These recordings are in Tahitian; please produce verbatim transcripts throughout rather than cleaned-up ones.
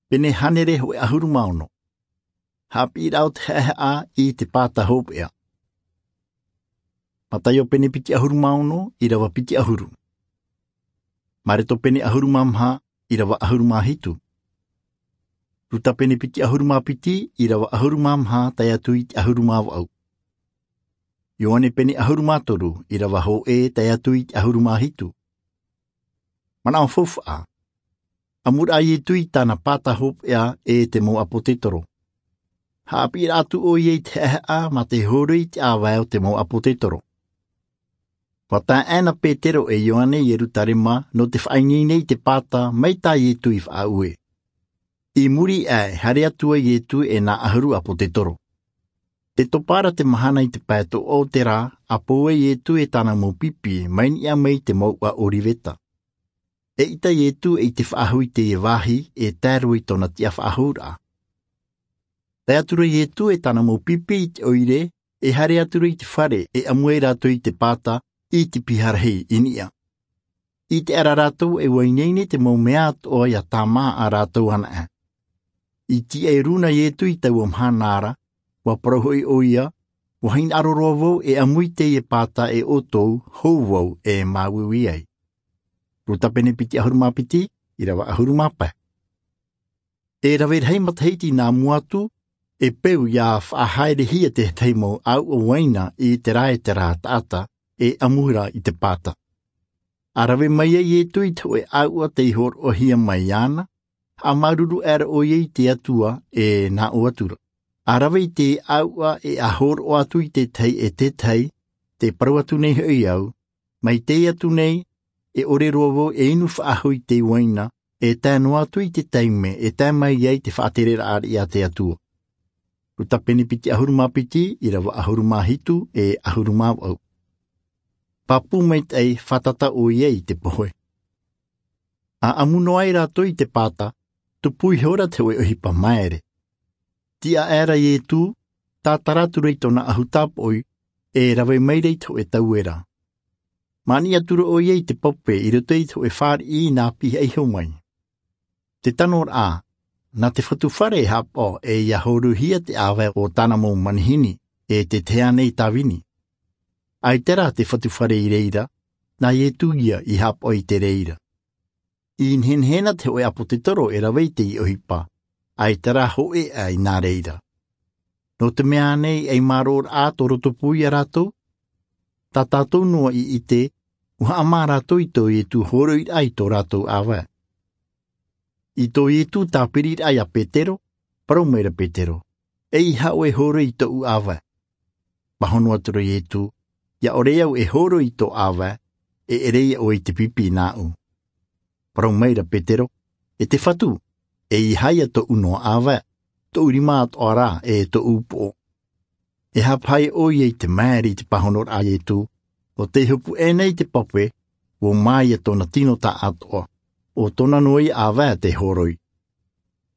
Pene hānere hōʻē ʻahuru mā ono. Haʻapiʻiraʻa o te haʻehaʻa i te pāta hopeʻa. Mataio pene piti ʻahuru mā ono, ʻīrava piti ʻahuru. Mareto pene ʻahuru mā maha, ʻīrava ʻahuru mā hitu. Ruta pene piti ʻahuru mā piti, ʻīrava ʻahuru mā maha tae atu i te ʻahuru mā vaʻu. Ioane pene ʻahuru mā toru, ʻīrava hōʻē tae atu i te ʻahuru mā hitu. Manaʻo faufaʻa. ʻAmuraʻa Ietu i tāna pāta hopeʻa e te mau ʻāpōtetoro. Haʻapiʻiraʻa atu ʻoia i te haʻehaʻa mā te hōroi i te ʻāvae o te mau ʻāpōtetoro. ʻUa tae aʻe na Petero e Ioane i Ierutarema nō te faʻaineine i te pāta mai tā Ietu i faʻaue. I muri aʻe, haere atu ai Ietu e nā ʻahuru ʻāpōtetoro. E topa ra te mahana i te pae toʻa o te rā, ʻa pou ai Ietu e tāna mau pipi mai niʻa mai i te mouʻa ʻOriveta. ʻEita Ietu e ʻite faʻahou i teie vāhi e tae roa i tōna tiʻa faʻahou ra. Tae atu ra Ietu e tāna mau pipi i te ʻoire, e haere atu ra i te fare e ʻamu ai rātou i te pāta i te piha rahi i niʻa. ʻIte aʻera rātou e ʻua ineine te mau mea atoʻa ʻia tāmā ā rātou anaʻe. I tīaʻi rū na Ietu i taua mahana ra, ʻua parau hoʻi ʻoia, ʻUa hinaʻaro roa vau e ʻamu i teie pāta e ʻoutou, hou vau e māuiui ai. Ruta pene piti ʻahuru mā piti, ʻīrava ʻahuru mā pae. E rave rahi matahiti nā mua atu, e peu ʻia faʻahaerehia te tahi mau ʻāuʻa uaina i terā e terā taʻata e ʻamu ra i te pāta. ʻA rave mai ai Ietu i te hōʻē ʻāuʻa tei hōroʻahia mai iāna, haʻamāuruuru aʻera ʻoia i te Atua e nā ʻō atu ra. ʻA rave i te ʻāuʻa e ʻa hōroʻa atu i te tahi e te tahi, tē parau atu nei hoʻi au, mai teie atu nei, e ʻore roa vau e inu faʻahou i te uaina, e tae noa atu i te taime e tae mai ai te faʻatereraʻa a te Atua. Ruta pene piti ʻahuru mā piti, ʻīrava ʻahuru mā hitu e ʻahuru mā vaʻu. Pāpū maitaʻi fātata ʻoia i te pohe. ʻA ʻamu noa ai rātou i te pāta, tupu ihora te hōʻē ʻohipa maere. Tiʻa aʻera Ietu, tātara atu ra i tōna ʻahu tāpoʻi, e rave mai ra i te hōʻē tauera. Māniʻa atu ra ʻoia i te pape i roto i te hōʻē fāriʻi nā pihaʻi iho mai. Te tano ra, nā te fatu fare e haʻapaʻo e ʻia hōroihia te ʻāvae o tāna mau manihini, e te tahi ānei tāvini. ʻAita rā te fatu fare i reira, nā Ietu ïa i haʻapaʻo i te reira. I nehenehe na te hōʻē ʻāpōtetoro e rave i teie ʻohipa, ʻaita rā hōʻē aʻe i nā reira. Nō te mea ānei ei mārōraʻa tō roto pū ia rātou? Tā tātou noa i ʻite, ʻua haʻamā rātou i tō Ietu hōroiraʻa i tō rātou ʻāvae. I tō Ietu tāpiriraʻa ia Petero, parau mai ra Petero, ʻEiaha ʻoe e hōroi i tōʻu ʻāvae. Pāhono atu ra Ietu, ʻIa ʻore au e hōroi i tō ʻāvae, e ʻere ïa ʻoe i te pipi nāʻu. Parau mai ra Petero, E te Fatu, ʻeiaha ïa tōʻu noa ʻāvae, tōʻu rima atoʻa rā e tōʻu upoʻo. E haʻapaʻo ʻoia i te maere i te pāhonoraʻa a Ietu, ʻo tei hopu aʻe nei te pape, ʻua mā ïa tōna tino taʻatoʻa, ʻo tōna noa ïa ʻāvae tei hōroi.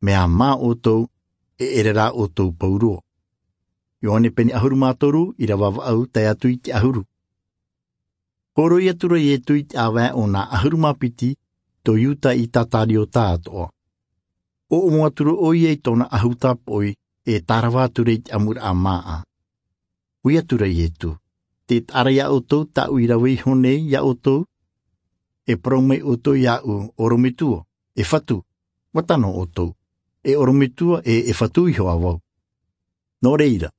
Mea mā ʻoutou, e ʻere rā ʻoutou pauroa. Ioane pene ʻahuru mā toru, ʻīrava vaʻu tae atu i te ʻahuru. Hōroi atu ra Ietu i te ʻāvae o nā ʻahuru mā piti, tō Iuta Itakariote atoʻa. ʻOʻomo atu ra ʻoia i tōna ʻahu tāpoʻi, e tārava atu ra i te ʻamuraʻa māʻa. Ui atu ra Ietu, Tē taʻa ra ia ʻoutou tāʻu i rave iho nei ia ʻoutou? E parau mai ʻoutou iāʻu, ʻOrometua, e Fatu, ʻua tano ʻoutou, e ʻorometua e e Fatu iho ā vau. Nō reira,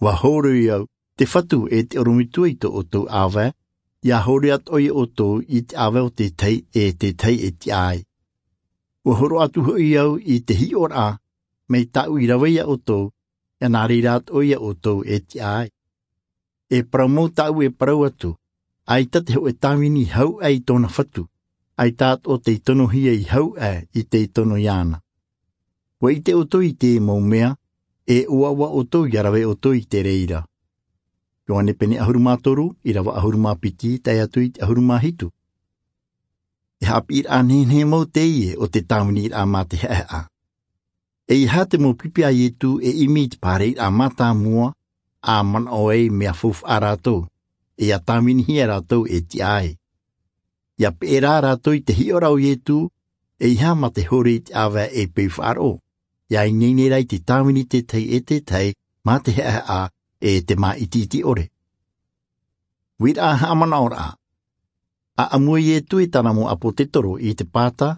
ʻua hōroi au, te Fatu e te ʻorometua i tō ʻoutou ʻāvae, ʻia hōroi atoʻa ia ʻoutou i te ʻāvae o te tahi e te tahi e tiʻa ai. ʻUa hōroʻa atu hoʻi au i te hiʻoraʻa, mai tāʻu i rave ia ʻoutou, ʻia nā reira atoʻa ia ʻoutou e tiʻa ai. E parau mau tāʻu e parau atu, ʻaita te hōʻē tāvini i hau aʻe i tōna Fatu, ʻaita atoʻa tei tonohia i hau aʻe i tei tono iāna. ʻUa ʻite ʻoutou i te mau mea, e ʻoaʻoa ʻoutou ʻia rave ʻoutou i te reira. Ioane pene ʻahuru mā toru, ʻīrava ʻahuru mā piti, tae atu i te ʻahuru mā hitu. E haʻapiʻiraʻa nehenehe mau teie o te tāviniraʻa mā te haʻehaʻa. ʻEiaha te mau pipi a Ietu e ʻimi i te pārairaʻa mātāmua, ʻa manaʻo ai mea faufaʻa rātou, e ʻia tāvinihia rātou e tiʻa ai. ʻIa peʻe rā rātou i te hiʻoraʻa o Ietu, ʻEiaha mā te hōroʻa i te ʻāvae e peu faʻaroʻo. Ia ineine rā i te tāvini tētahi e tētahi mā te haʻehaʻa e te māʻitiʻiti ʻore. Uiraʻa haʻamanaʻoraʻa. ʻAʻamu ʻo iesu e tāna mau ʻāpōsetolo i te pāta,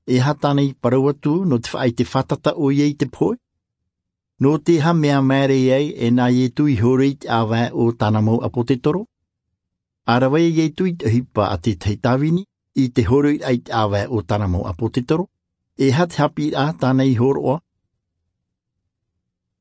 e aha tāna i parau atu nō te faʻaʻite fātata ʻo ia i te pohe? Nō te aha mea māere ai e nā iesu i hōroʻa i te ʻāvae o tāna mau ʻāpōsetolo? A rave iesu i te ʻohipa a tētahi tāvini i te hōroʻa i te ʻāvae o tāna mau ʻāpōsetolo? E aha te haʻapiʻiraʻa tāna i hōroʻa